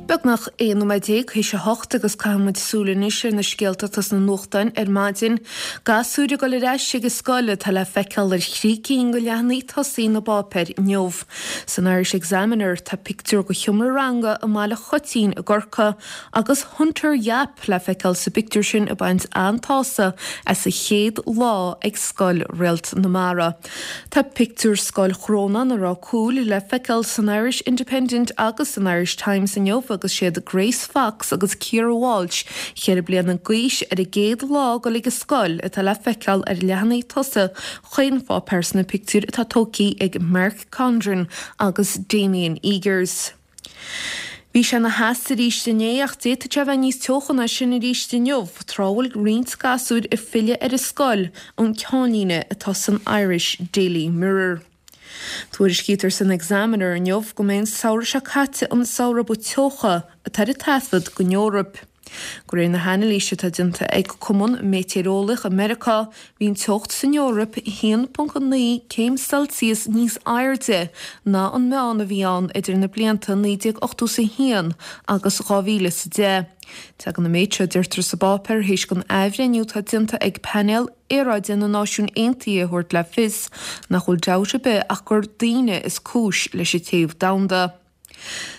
Beagnach 11 nóiméad théis a hocht agus caithfidh muid súil anois ar na scéalta atá sna nuachtáin ar maidin. Gasúir ag dul ar ais ag an scoil atá le feiceáil ar thrí cinn de leathanaigh tosaigh na bpáipéar inniu. San Irish Examiner tá pictiúr de sheomra ranga i mBaile Choitín i gCorcaigh agus Hunter Yapp le feiceáil sa bpictiúr sin ag baint an-tsásamh as a chéad lá ag Scoil Réalt na Mara. Tá pictiúr Scoil Chrónáin i Ráth Cúil le feiceáil san Irish Independent agus san Irish Times inniu agus siad Grace Fox agus Ciara Walsh, 4 bliana d'aois, ar a gcéad lá ag dul ag an scoil atá le feiceáil ar leathanaigh tosaigh chaon pháipéar sna pictiúir atá tógtha ag Mark Condren agus Damien Eagers. Bhí sé ina theas arís inné ach d'fhéadfadh sé a bheith níos teocha ná sin arís inniu, tráth a bhfuil roinnt gasúir ag filleadh ar an scoil, an ceannlíne atá san Irish Daily Mirror. Tuairiscítear san Examiner inniu go mbeidh an samhradh seo caite an samhradh ba teocha atá ar taifead don Eoraip. De réir na hanailíse atá déanta ag Cumann Meitéareolaíoch i Meiriceá, bhí an teocht san Eoraip 1.9 céim Celsius níos airde ná an meán a bhí ann idir na blianta 1981 agus 2010. Tagann an méid seo, a deirtear sa bpáipéar, théis don athbhreithniú atá déanta ag Painéal Aeráide na Náisiún Aontaithe a thabhairt le fios nach bhfuil dabht ar bith ach gur daoine is cúis leis an téamh domhanda.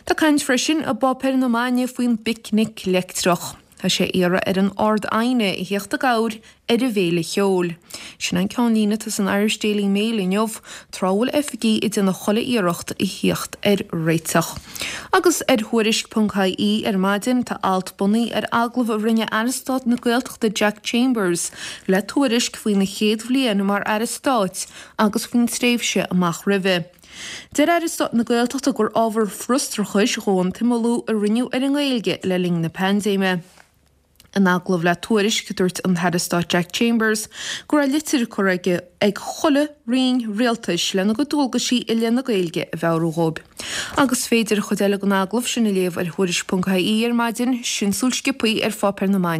Tá caint freisin i bpáipéir na maidine faoin bPicnic Leictreach. Tá sé á iarraidh ar an Ard-Aighne a theacht i gcabhair ar an bhFéile Cheoil. Sin an ceannlíne atá san Irish Daily Mail inniu, tráth a bhfuil oifigigh ag déanamh chuile iarracht a theacht ar réiteach. Agus ar Thuairisc.ie ar maidin tá alt bunaithe ar agallamh a rinne Aire Stáit na Gaeltachta Jack Chambers le Tuairisc faoina chéad bhliain mar Aire Stáit agus faoin tréimhse amach roimhe. Deir Aire Stáit na Gaeltachta gur ábhar frustrachais dhó an t-imeallú a rinneadh ar an nGaeilge le linn na paindéime. In agallamh le Tuairisc, dúirt an tAire Stáit Jack Chambers go raibh litir curtha aige ag chuile roinn rialtais lena gcuid dualgaisí i leith na Gaeilge a mheabhrú dhóibh. Agus is féidir an chuid eile den agallamh sin a léamh ar Thuairisc.ie ar maidin, sin súil sciobtha ar pháipéir na maidine.